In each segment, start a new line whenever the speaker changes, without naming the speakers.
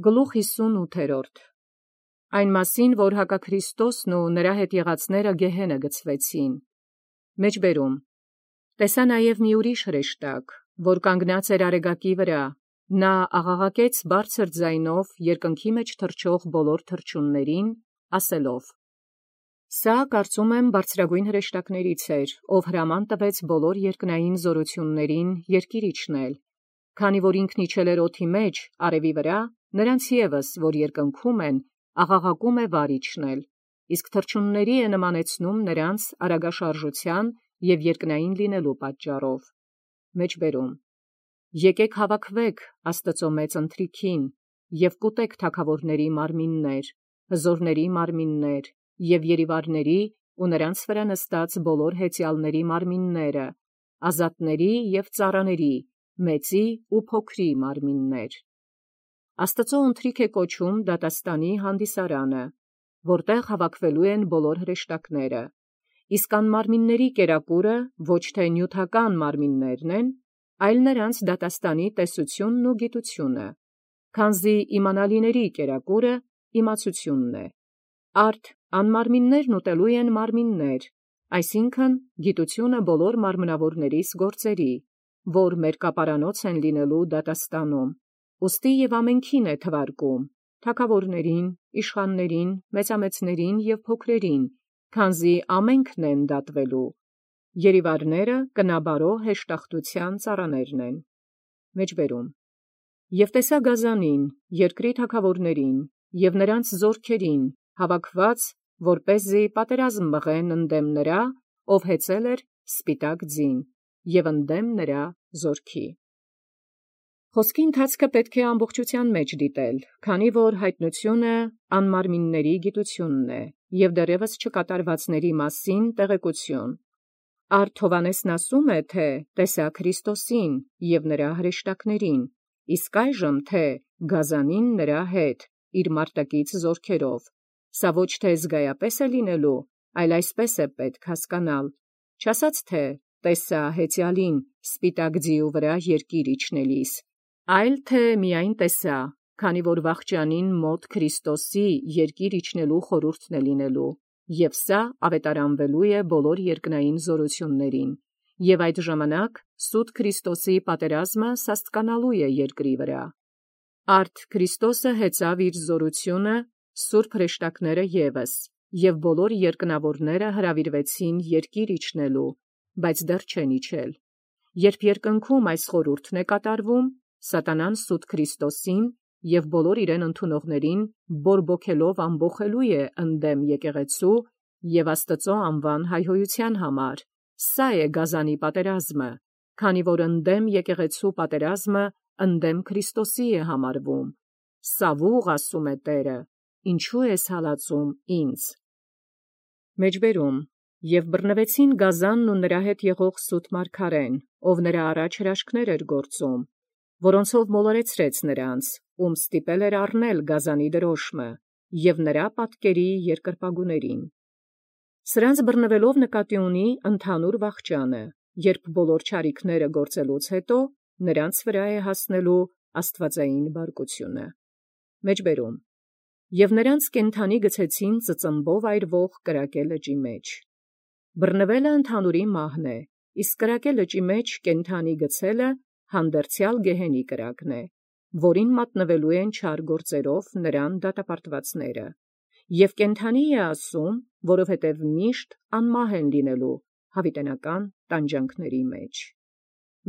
Գլուխ 58 Այն մասին, որ հակաքրիստոսն ու նրա հետ եղածները գեհենը գցվեցին։ Մեջբերում տեսա նաև մի ուրիշ հրեշտակ, որ կանգնած էր արեգակի վրա, նա աղաղակեց բարձր ձայնով երկնքի մեջ թռչող բոլոր թռչուններին, ասելով. Սա կարծում եմ բարձրագույն հրեշտակներից էր, ով հրաման տվեց բոլոր երկնային զորություններին երկիր իջնել, քանի որ ինքն իջել էր օդի մեջ, արևի վրա, նրանց ևս, որ երկնքում են, աղաղակում է վար իջնել, իսկ թռչունների է նմանեցնում նրանց արագաշարժության և երկնային լինելու պատճառով։ Մեջբերում Եկեք հավաքվեք Աստծո մեծ ընթրիքին և կուտեք թագավորների մարմիններ, հզորների մարմիններ և երիվարների ու նրանց վրա նստած բոլոր հեծյալների մարմինները, ազատների և ծառաների, մեծի ու փոքրի մարմիններ։ Աստծո ընթրիք է կոչում դատաստանի հանդիսարանը, որտեղ հավաքվելու են բոլոր հրեշտակները, իսկ անմարմինների կերակուրը ոչ թե նյութական մարմիններն են, այլ նրանց դատաստանի տեսությունն ու գիտությունը, քանզի իմանալիների կերակուրը իմացությունն է։ Արդ անմարմիններն ուտելու են մարմիններ, այսինքն գիտությունը բոլոր մարմնավորներիս գործերի, որ մերկապարանոց են լինելու դատաստանում, ուստի և ամենքին է թվարկում, թագավորներին, իշխաններին, մեծամեծներին և փոքրերին, քանզի ամենքն են դատվելու, երիվարները կնաբարո հեշտախտության ծառաներն են։ Մեջբերում Եվ տեսա գազանին, երկրի թագավորներին և նրանց զորքերին, հավաքված, որպեսզի պատերազմ մղեն ընդդեմ նրա, ով հեծել էր սպիտակ ձին, և ընդդեմ նրա զորքի։ Խոսքի ընթացքը պետք է ամբողջութեան մեջ դիտել, քանի որ հայտնությունը անմարմինների գիտությունն է, և դեռևս չկատարվածների մասին տեղեկություն։ Արդ Հովհաննեսն ասում է, թե տեսա Քրիստոսին և նրա հրեշտակներին, իսկ այժմ թե գազանին նրա հետ, իր մարտակից զորքերով։ Սա ոչ թե զգայապես է լինելու, այլ այսպես է պետք հասկանալ, չասած թե տեսա հեծյալին սպիտակ ձիու վրա երկիր իջնելիս, այլ թե միայն տեսա, քանի որ վախճանին մոտ Քրիստոսի երկիր իջնելու խորհուրդն է լինելու, և սա ավետարանվելու է բոլոր երկնային զորություններին, և այդ ժամանակ սուտ Քրիստոսի պատերազմը սաստկանալու է երկրի վրա։ Արդ Քրիստոսը հեծավ իր զորությունը, սուրբ հրեշտակները ևս, և բոլոր երկնավորները հրավիրվեցին երկիր իջնելու, բայց դեռ չեն իջել։ Երբ երկնքում այս խորհուրդն է կատարվում, սատանան սուտ Քրիստոսին և բոլոր իրեն ընդունողներին բորբոքելով ամբոխելու է ընդդեմ եկեղեցու և Աստծո անվան հայհոյության համար։ Սա է գազանի պատերազմը, քանի որ ընդդեմ եկեղեցու պատերազմը ընդդեմ Քրիստոսի է համարվում։ Սավուղ ասում է Տերը, ինչու ես հալածում ինձ։ Մեջբերում Եվ բռնվեցին գազանն ու նրա հետ եղող սուտ մարգարեն, ով նրա առաջ հրաշքներ էր գործում, որոնցով մոլորեցրեց նրանց, ում ստիպել էր առնել գազանի դրոշմը, և նրա պատկերի երկրպագուներին։ Սրանց բռնվելով նկատի ունի ընդհանուր վախճանը, երբ բոլոր չարիքները գործելուց հետո նրանց վրա է հասնելու աստվածային բարկությունը։ Մեջբերում Եվ նրանց կենդանի գցեցին ծծմբով այրվող կրակե լճի մեջ։ Բռնվելը ընդհանուրի մահն է, իսկ կրակե լճի մեջ կենդանի գցելը հանդերձյալ գեհենի կրակն է, որին մատնվելու են չար գործերով նրան դատապարտվածները։ Եվ կենդանի է ասում, որովհետև միշտ անմահ են լինելու հավիտենական տանջանքների մեջ։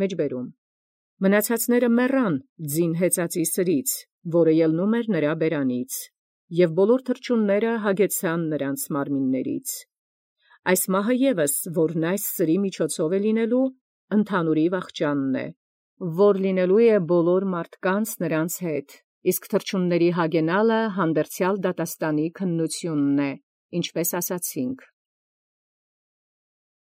Մեջբերում Մնացածները մեռան ձին հեծածի սրից, որը ելնում էր նրա բերանից, և բոլոր թռչունները հագեցան նրանց մարմիններից։ Այս մահը ևս, որն այս սրի միջոցով է լինելու, ընդհանուրի վախճանն է, որ լինելու է բոլոր մարդկանց նրանց հետ, իսկ թռչունների հագենալը հանդերձյալ դատաստանի քննությունն է, ինչպես ասացինք։